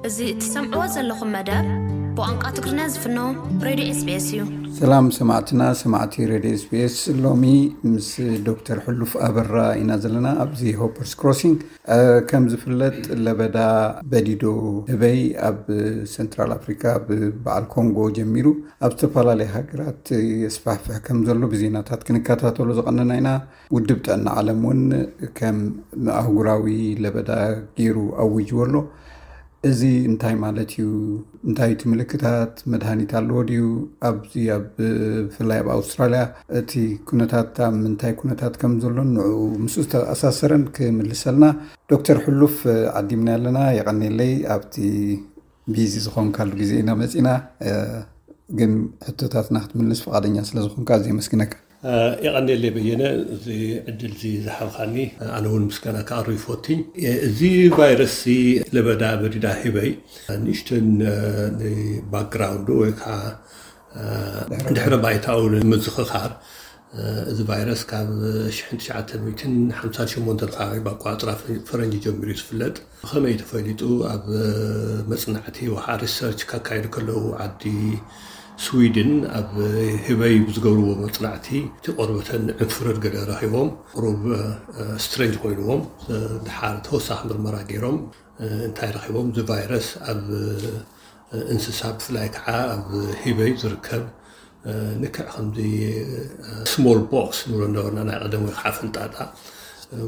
እዚ እትሰምዕዎ ዘለኹም መደብ ብቋንቋ ትግርኛ ዝፍኖ ሬድዮ ኤስቢኤስ እዩ። ሰላም ሰማዕትና፣ ሰማዕቲ ሬድዮ ኤስቢኤስ፣ ሎሚ ምስ ዶክተር ሕሉፍ ኣበራ ኢና ዘለና ኣብዚ ሆፐርስ ክሮሲንግ። ከም ዝፍለጥ ለበዳ በዲዶ ህበይ ኣብ ሰንትራል ኣፍሪካ ብበዓል ኮንጎ ጀሚሩ ኣብ ዝተፈላለየ ሃገራት የስፋሕፍሕ ከም ዘሎ ብዜናታት ክንከታተሎ ዝቐነና ኢና። ውድብ ጥዕና ዓለም እውን ከም ኣህጉራዊ ለበዳ ገይሩ ኣዊጅዎ ኣሎ። እዚ እንታይ ማለት እዩ? እንታይ እቲ ምልክታት? መድሃኒት ኣለዎ ድዩ? ኣብዚ ኣብ ብፍላይ ኣብ ኣውስትራልያ እቲ ኩነታት ኣብ ምንታይ ኩነታት ከም ዘሎን ንዕኡ ምስኡ ዝተኣሳሰረን ክምልሰልና ዶክተር ሕሉፍ ዓዲምና ኣለና። የቐኔለይ ኣብቲ ቢዚ ዝኾንካሉ ግዜ ኢና መፂና፣ ግን ሕቶታትና ክትምልስ ፍቓደኛ ስለ ዝኾንካ ኣዝየ የመስግነካ። የቐንየለይ በየነ፣ እዚ ዕድል እዚ ዝሃብካኒ ኣነ እውን ምስጋና ከቕርብ ይፈቱ። እዚ ቫይረስ እዚ ለበዳ በዲዳ ህበይ ንእሽተን ባክግራውንዱ ወይ ከዓ ድሕረ ባይታኡ ንምዝኽኻር፣ እዚ ቫይረስ ካብ ሽሕን ትሽዓተ ሚእትን ሓምሳን ሸሞንተን ከባቢ ብኣቋፅራ ፈረንጂ ጀሚሩ እዩ ዝፍለጥ። ብኸመይ ተፈሊጡ? ኣብ መፅናዕቲ ወሓ ሪሰርች ካካየዱ ከለዉ ዓዲ ስዊድን ኣብ ህበይ ብዝገብርዎ መፅናዕቲ እቲ ቆርበተን ዕንፍርር ገለ ረኺቦም፣ ቁሩብ ስትሬንጅ ኮይንዎም። ድሓር ተወሳኺ ምርመራ ገይሮም እንታይ ረኺቦም? እዚ ቫይረስ ኣብ እንስሳ ብፍላይ ከዓ ኣብ ህበይ ዝርከብ ንክዕ ከምዚ ስሞል ቦክስ ንብሎ እንዳበልና ናይ ቀደም ወይ ከዓ ፍንጣጣ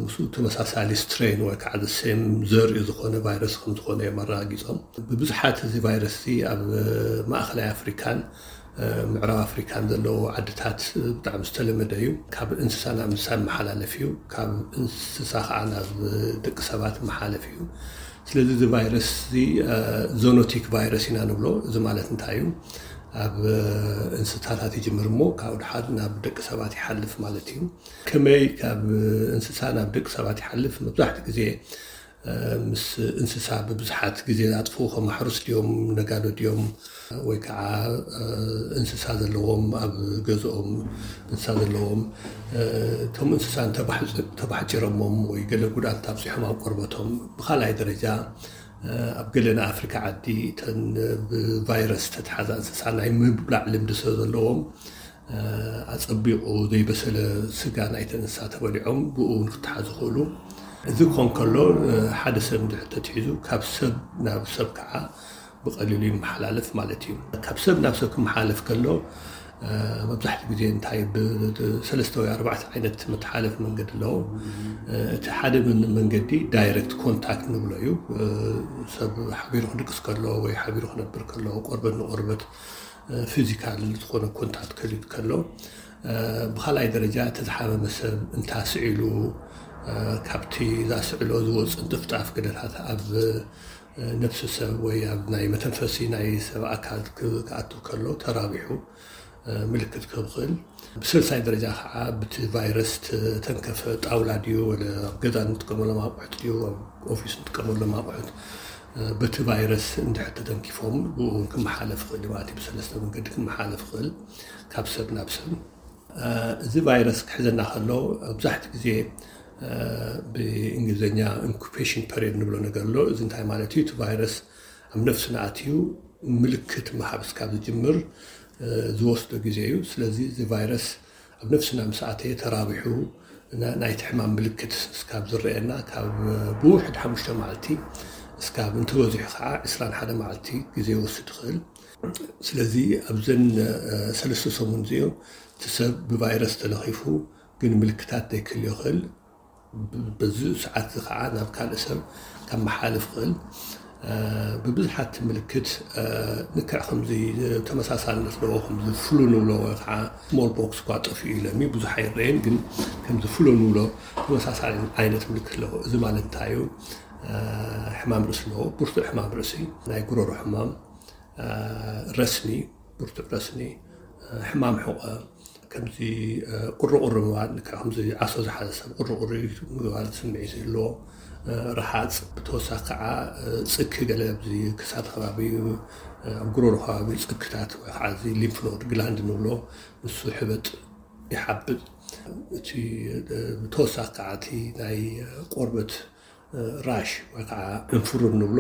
ምስኡ ተመሳሳሊ ስትሬን ወይ ከዓ ሴም ዘርኢ ዝኾነ ቫይረስ ከም ዝኾነ እዮም ኣረጋጊፆም። ብብዙሓት እዚ ቫይረስ እዚ ኣብ ማእኸላይ ኣፍሪካን ምዕራብ ኣፍሪካን ዘለዎ ዓድታት ብጣዕሚ ዝተለመደ እዩ። ካብ እንስሳ ናብ እንስሳ መሓላለፍ እዩ። ካብ እንስሳ ከዓ ናብ ደቂ ሰባት መሓለፍ እዩ። ስለዚ እዚ ቫይረስ እዚ ዞኖቲክ ቫይረስ ኢና ንብሎ። እዚ ማለት እንታይ እዩ? ኣብ እንስሳታት ይጅምር እሞ ካብኡ ድሓር ናብ ደቂ ሰባት ይሓልፍ ማለት እዩ። ከመይ ካብ እንስሳ ናብ ደቂ ሰባት ይሓልፍ? መብዛሕትኡ ግዜ ምስ እንስሳ ብብዙሓት ግዜ ዝኣጥፍኡ ከም ኣሕሩስ ድዮም፣ ነጋዶ ድዮም፣ ወይ ከዓ እንስሳ ዘለዎም ኣብ ገዝኦም እንስሳ ዘለዎም እቶም እንስሳ ተባሕጭረሞም ወይ ገለ ጉድኣት ኣብፂሖም ኣብ ቆርበቶም። ብካልኣይ ደረጃ ኣብ ገለ ናይ ኣፍሪካ ዓዲ እተን ብቫይረስ ተተሓዛ እንስሳ ናይ ምብላዕ ልምዲ ስለ ዘለዎም ኣፀቢቑ ዘይበሰለ ስጋ ናይተን እንስሳ ተበሊዖም ብኡ እውን ክተሓዙ ይኽእሉ። እዚ ክኾን ከሎ ሓደ ሰብ እንድሕር ተትሒዙ ካብ ሰብ ናብ ሰብ ከዓ ብቐሊሉ ይመሓላለፍ ማለት እዩ። ካብ ሰብ ናብ ሰብ ክመሓለፍ ከሎ መብዛሕትኡ ግዜ እንታይ ብሰለስተ ወይ ኣርባዕተ ዓይነት መተሓለፊ መንገዲ ኣለዎ። እቲ ሓደ መንገዲ ዳይረክት ኮንታክት ንብሎ እዩ። ሰብ ሓቢሩ ክድቅስ ከሎ ወይ ሓቢሩ ክነብር ከሎ ቆርበት ንቆርበት ፊዚካል ዝኾነ ኮንታክት ከሊት ከሎ፣ ብካልኣይ ደረጃ እቲ ዝሓመመ ሰብ እንታስዒሉ ካብቲ ዛስዕሎ ዝወፅእ ጥፍጣፍ ገደታት ኣብ ነብሲ ሰብ ወይ ኣብ ናይ መተንፈሲ ናይ ሰብ ኣካል ክኣቱ ከሎ ተራቢሑ ምልክት ክህብ ክእል። ብሰልሳይ ደረጃ ከዓ ብቲ ቫይረስ ተተንከፈ ጣውላ ድዩ ወለ ኣብ ገዛ እንጥቀመሎም ኣቑሑት ድዩ ኣብ ኦፊስ እንጥቀመሎም ኣቑሑት በቲ ቫይረስ እንድሕር ተተንኪፎም ብኡ እውን ክመሓለፍ ይኽእል እዩ ማለት እዩ። ብሰለስተ መንገዲ ክመሓለፍ ይኽእል ካብ ሰብ ናብ ሰብ። እዚ ቫይረስ ክሕዘና ከሎ መብዛሕትኡ ግዜ ብእንግሊዝኛ ኢንኩቤሽን ፐሪድ ንብሎ ነገር ኣሎ። እዚ እንታይ ማለት እዩ? እቲ ቫይረስ ኣብ ነፍስና ኣትዩ ምልክት ምሃብ እስካብ ዝጅምር ዝወስዶ ግዜ እዩ። ስለዚ እዚ ቫይረስ ኣብ ነፍስና ምስ ኣተየ ተራቢሑ ናይቲ ሕማም ምልክት እስካብ ዝረኣየና ካብ ብውሕድ ሓሙሽተ መዓልቲ እስካብ እንተበዚሑ ከዓ ዕስራን ሓደ መዓልቲ ግዜ ይወስድ ይኽእል። ስለዚ ኣብዘን ሰለስተ ሰሙን እዚኦም እቲ ሰብ ብቫይረስ ተለኺፉ ግን ምልክታት ዘይክህልዮ ይኽእል። በዚ ሰዓት እዚ ከዓ ናብ ካልእ ሰብ ካብ መሓልፍ ይኽእል። ብብዝሓት ምልክት ንክዕ ከምዚ ተመሳሳልነት ኣለዎ። ከምዚ ፍሉ ንብሎ ወይ ከዓ ስሞል ቦክስ እኳ ጠፊኡ ኢለሚ ብዙሕ ኣይረአን፣ ግን ከምዚ ፍሉ ንብሎ ተመሳሳሊ ዓይነት ምልክት ኣለዎ። እዚ ማለት እንታይ እዩ? ሕማም ርእሲ ኣለዎ፣ ብርቱዕ ሕማም ርእሲ፣ ናይ ጉረሮ ሕማም፣ ረስኒ፣ ብርቱዕ ረስኒ፣ ሕማም ሕቆ፣ ከምዚ ቁርቁር ምግባር፣ ከምዚ ዓሶ ዝሓዘ ሰብ ቁርቁር ምግባር ስምዒት ይህልዎ። ረሃፅ፣ ብተወሳኺ ከዓ ፅኪ፣ ገለ ኣብዚ ክሳድ ከባቢ ኣብ ጉሮሮ ከባቢ ፅክታት ወይ ከዓ እዚ ሊምፍ ኖድ ግላንድ ንብሎ ንሱ ሕበጥ ይሓብጥ። እቲ ብተወሳኺ ከዓ እቲ ናይ ቆርበት ራሽ ወይ ከዓ እንፍሩር ንብሎ፣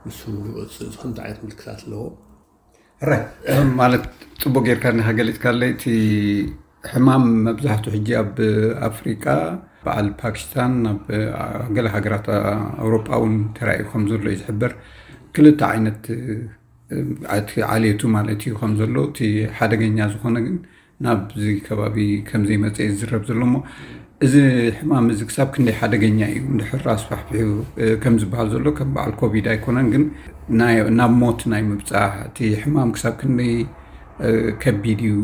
ንሱ ከምዚ ዓይነት ምልክታት ኣለዎ። ሕራይ ማለት ጽቡቅ ጌርካ ዲኻ ገሊጽካለይ። እቲ ሕማም መብዛሕትኡ ሕጂ ኣብ ኣፍሪቃ፣ በዓል ፓኪስታን፣ ኣብ ገለ ሃገራት ኣውሮጳ እውን ተራእዩ ከም ዘሎ እዩ ዝሕበር። ክልተ ዓይነት እቲ ዓሌቱ ማለት እዩ ከም ዘሎ፣ እቲ ሓደገኛ ዝኾነ ግን ናብዚ ከባቢ ከም ዘይመጸ እዩ ዝዝረብ ዘሎ። እሞ እዚ ሕማም እዚ ክሳብ ክንደይ ሓደገኛ እዩ? እንድሕር ኣስፋሕፊሑ ከም ዝበሃል ዘሎ ከም በዓል ኮቪድ ኣይኮነን፣ ግን ናብ ሞት ናይ ምብጻሕ እቲ ሕማም ክሳብ ክንደይ ከቢድ እዩ?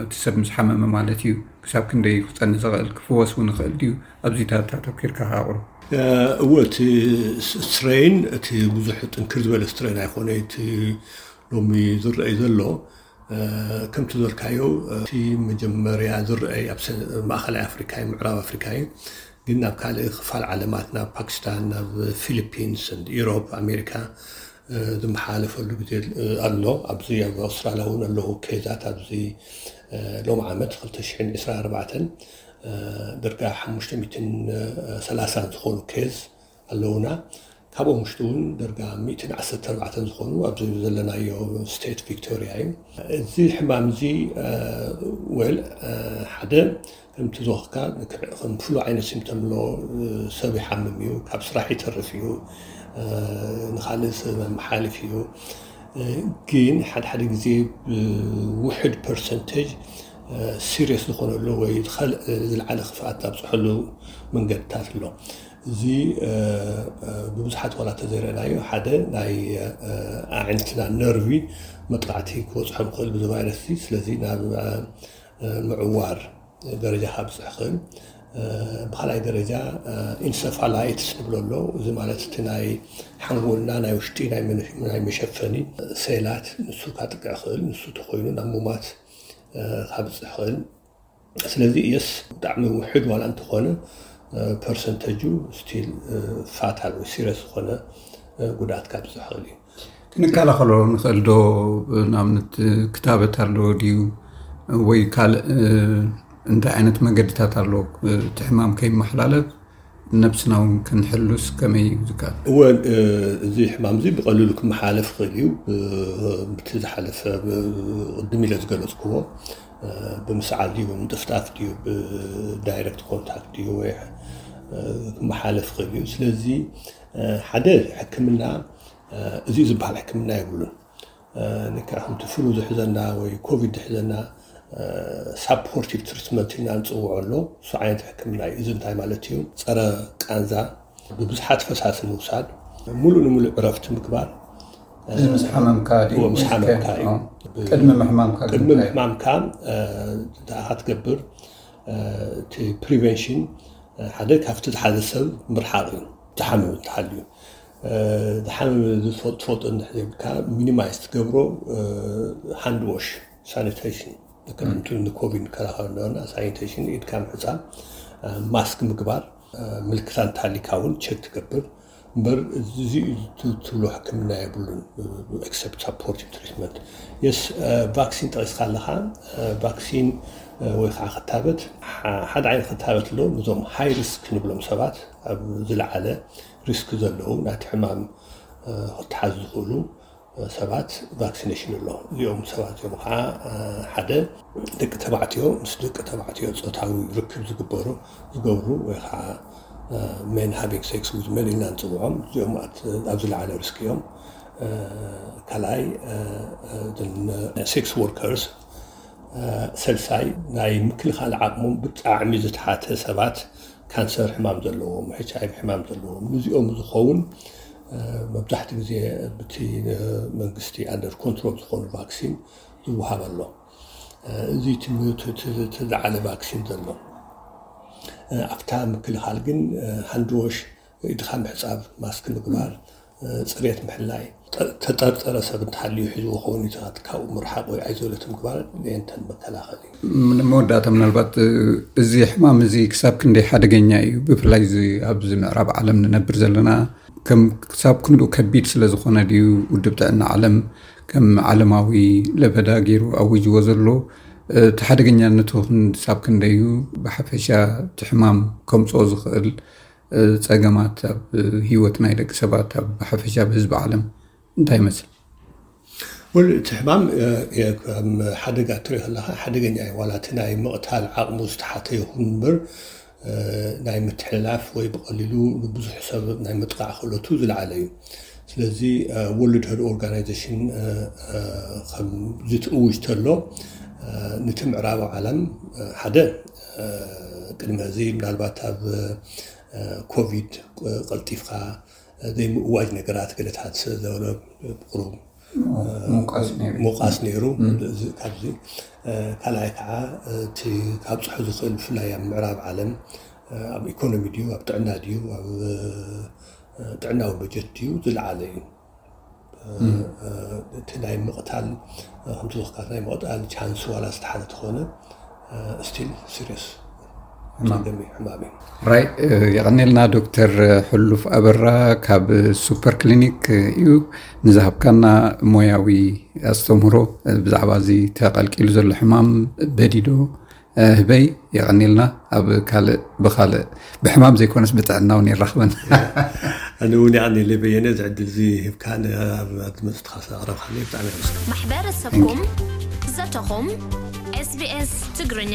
እቲ ሰብ ምስ ሓመመ ማለት እዩ። ክሳብ ክንደይ ክጸንሕ ዝኽእል፣ ክፍወስ እውን ይኽእል ድዩ? ኣብዚታት ኣተኪርካ ኣቕርብ። እወ፣ እቲ ስትሬን፣ እቲ ብዙሕ ጥንክር ዝበለ ስትሬን ኣይኮነ። እቲ ሎሚ ዝረኣይ ዘሎ ከምቲ ዝበልካዮ፣ እቲ መጀመርያ ዝረኣይ ኣብ ማእኸላይ ኣፍሪካ እዩ፣ ምዕራብ ኣፍሪካ እዩ። ግን ናብ ካልእ ክፋል ዓለማት፣ ናብ ፓኪስታን፣ ናብ ፊሊፒንስ፣ ኢሮፕ፣ ኣሜሪካ ዝመሓላለፈሉ ግዜ ኣሎ። ኣብዚ ኣብ ኣውስትራልያ እውን ኣለዉ ኬዛት። ኣብዚ ሎም ዓመት ክልተ ሽሕን ዕስራን ኣርባዕተን ደርጋ ሓሙሽተ ሚእትን ሰላሳን ዝኾኑ ኬዝ ኣለውና። ካብኦም ውሽጢ እውን ደርጋ ሚእትን ዓሰርተ ኣርባዕተን ዝኾኑ ኣብዚ ዘለናዮ ስቴት ቪክቶሪያ እዩ። እዚ ሕማም እዚ፣ ወል፣ ሓደ ከምቲ ዝወክካ ከም ፍሉ ዓይነት ሲምተም ኣሎ። ሰብ ይሓምም እዩ፣ ካብ ስራሕ ይተርፍ እዩ፣ ንካልእ ሰብ መሓልፍ እዩ። ግን ሓደ ሓደ ግዜ ብውሕድ ፐርሰንቴጅ ሲሪየስ ዝኾነሉ ወይ ዝለዓለ ክፍኣት ኣብፅሐሉ መንገድታት ኣሎ። እዚ ብብዙሓት ዋላ ተዘይረእናዮ፣ ሓደ ናይ ኣዕንትና ነርቪ መጥቃዕቲ ክበፅሖም ይኽእል ብዚ ቫይረስ እዚ። ስለዚ ናብ ምዕዋር ደረጃ ካብፅሕ ይኽእል። ብካልኣይ ደረጃ ኢንሰፋላይትስ ንብሎ ኣሎ። እዚ ማለት እቲ ናይ ሓንጎልና ናይ ውሽጢ ናይ መሸፈኒ ሴላት ንሱ ካጥቅዕ ይኽእል። ንሱ ተኮይኑ ናብ ሙማት ካብፅሕ ይኽእል። ስለዚ የስ ብጣዕሚ ውሕድ ዋላ እንተኾነ ፐርሰንተጁ ስቲል ፋታል ወይ ሲሪየስ ዝኾነ ጉድኣት ካብፅሕ ይኽእል እዩ። ክንከላኸሎ ንኽእል ዶ? ንኣብነት ክታበት ኣሎ ድዩ ወይ ካልእ እንታይ ዓይነት መገድታት ኣሎ እቲ ሕማም ከይመሓላለፍ ነብስና እውን ክንሕሉስ ከመይ እዩ ዝከኣል? እወ፣ እዚ ሕማም እዚ ብቐሊሉ ክመሓላለፍ ይኽእል እዩ። ብቲ ዝሓለፈ ቅድም ኢለ ዝገለፅክዎ ብምስዓል ድዩ ብምጥፍጣፍ ድዩ ብዳይረክት ኮንታክት ድዩ ወይ ክመሓለፍ ይኽእል እዩ። ስለዚ ሓደ ሕክምና እዚ ዝበሃል ሕክምና የብሉን። ንካ ከምቲ ፍሉ ዝሕዘና ወይ ኮቪድ ዝሕዘና ሳፖርቲቭ ትሪትመንት ኢና ንፅውዖ ኣሎ። እሱ ዓይነት ሕክምና እዩ። እዚ እንታይ ማለት እዩ? ፀረ ቃንዛ ብብዝሓት ፈሳሲ ምውሳድ፣ ሙሉእ ንሙሉእ ዕረፍቲ ምግባር። እዚ ምስ ሓመምካ ድዩ? እዎ፣ ምስ ሓመምካ እዩ። ቅድሚ ምሕማምካ ቅድሚ ምሕማምካ እንታይ ክትገብር? እቲ ፕሪቨንሽን ሓደ ካብቲ ዝሓዘ ሰብ ምርሓቕ እዩ። ዝሓመም እንተሃልዩ ዝሓመመ ዝፈልጦ እንድሕር ዘይብልካ ሚኒማይዝ ትገብሮ ሃንድ ዎሽ ሳኒቴሽን ከምቲ ንኮቪድ ንከላኸል እንደሆነ ሳኒቴሽን ኢድካ ምሕፃብ ማስክ ምግባር ምልክታ እንተሃሊካ እውን ቸክ ትገብር እምበር እዚ ትብሎ ሕክምና የብሉን። ኤክሰፕት ሳፖርቲቭ ትሪትመንት የስ ቫክሲን ጠቂስካ ኣለካ። ቫክሲን ወይ ከዓ ክታበት ሓደ ዓይነት ክታበት ኣሎ። ንዞም ሃይ ሪስክ ንብሎም ሰባት ኣብ ዝለዓለ ሪስክ ዘለዉ ናቲ ሕማም ክተሓዙ ዝኽእሉ ሰባት ቫክሲኔሽን ኣሎ። እዚኦም ሰባት እዮም ከዓ ሓደ ደቂ ተባዕትዮ ምስ ደቂ ተባዕትዮ ፆታዊ ርክብ ዝግበሩ ዝገብሩ ወይ ከዓ ሜን ሃቪንግ ሴክስ ዊዝ ሜን ኢልና ንፅውዖም እዚኦም ኣብ ዝለዓለ ሪስክ እዮም። ካልኣይ ሴክስ ወርከርስ፣ ሰልሳይ ናይ ምክልኻል ዓቕሞም ብጣዕሚ ዝተሓተ ሰባት፣ ካንሰር ሕማም ዘለዎም፣ ኤች ኣይ ቪ ሕማም ዘለዎም፣ ንዚኦም ዝኸውን መብዛሕትኡ ግዜ ብቲ መንግስቲ ኣንደር ኮንትሮል ዝኾኑ ቫክሲን ዝወሃብ ኣሎ። እዚ ዝለዓለ ቫክሲን ዘሎ ኣብታ ምክልኻል ግን ሃንድዎሽ ኢድካ ምሕፃብ፣ ማስክ ምግባር፣ ፅሬት ምሕላይ፣ ተጠርጠረ ሰብ እንተሃልዩ ሒዝዎ ከውን ኢታት ካብኡ ምርሓቕ ወይ ኣይዞለት ምግባር ንኤንተን መከላኸል እዩ። መወዳእታ ምናልባት እዚ ሕማም እዚ ክሳብ ክንደይ ሓደገኛ እዩ? ብፍላይ ኣብዚ ምዕራብ ዓለም ንነብር ዘለና ከም ክሳብ ክንድኡ ከቢድ ስለ ዝኾነ ድዩ ውድብ ጥዕና ዓለም ከም ዓለማዊ ለበዳ ገይሩ ኣዊጅዎ ዘሎ? እቲ ሓደገኛነቱ ክሳብ ክንደይ እዩ? ብሓፈሻ እቲ ሕማም ከምፅኦ ዝኽእል ጸገማት ኣብ ህይወት ናይ ደቂ ሰባት ኣብ ሓፈሻ ብህዝቢ ዓለም እንታይ ይመስል? ወል እቲ ሕማም ከም ሓደጋ ትሪኦ ከለካ ሓደገኛ እዩ። ዋላ እቲ ናይ ምቕታል ዓቕሙ ዝተሓተ ይኹን እምበር ናይ ምትሕልላፍ ወይ ብቐሊሉ ንብዙሕ ሰብ ናይ ምጥቃዕ ክእለቱ ዝለዓለ እዩ። ስለዚ ወርልድ ሄልዝ ኦርጋናይዜሽን ከምዚ ትእውጅ ተሎ ነቲ ምዕራባዊ ዓለም ሓደ ቅድሚ እዚ ምናልባት ኣብ ኮቪድ ቀልጢፍካ ዘይምእዋጅ ነገራት ገለታት ዘበለ ቁሩብ ምውቃስ ነይሩ። ምውቃስ ነይሩ። እዚ ካብዚ ካልኣይ ከዓ እቲ ካብፅሑ ዝኽእል ብፍላይ ኣብ ምዕራብ ዓለም ኣብ ኢኮኖሚ ድዩ ኣብ ጥዕና ድዩ ኣብ ጥዕናዊ በጀት ድዩ ዝለዓለ እዩ። እቲ ናይ ምቕታል ከምቲ ዝኽካት ናይ ምቕታል ቻንስ ዋላ ዝተሓተ ተኾነ ስቲል ሲሪየስ ሕማም። ጸገም እዩ፣ ሕማም እዩ። ራይ የቐኔልና ዶክተር ሕሉፍ ኣበራ ካብ ሱፐር ክሊኒክ እዩ ንዝሃብካና ሞያዊ ኣስተምህሮ ብዛዕባ እዚ ተቐልቂሉ ዘሎ ሕማም በዲዶ ህበይ የቐኔልና። ኣብ ካልእ ብኻልእ ብሕማም ዘይኮነስ ብጥዕና እውን ይራኽበን። ኣነ እውን ያኔ ለበየነ እዚ ዕድል እዚ ሂብካ ኣድመፅትካ ኣቕረብካኒ ብጣዕሚ ኣመስግን። ማሕበረሰብኩም ዘተኹም ኤስቢኤስ ትግርኛ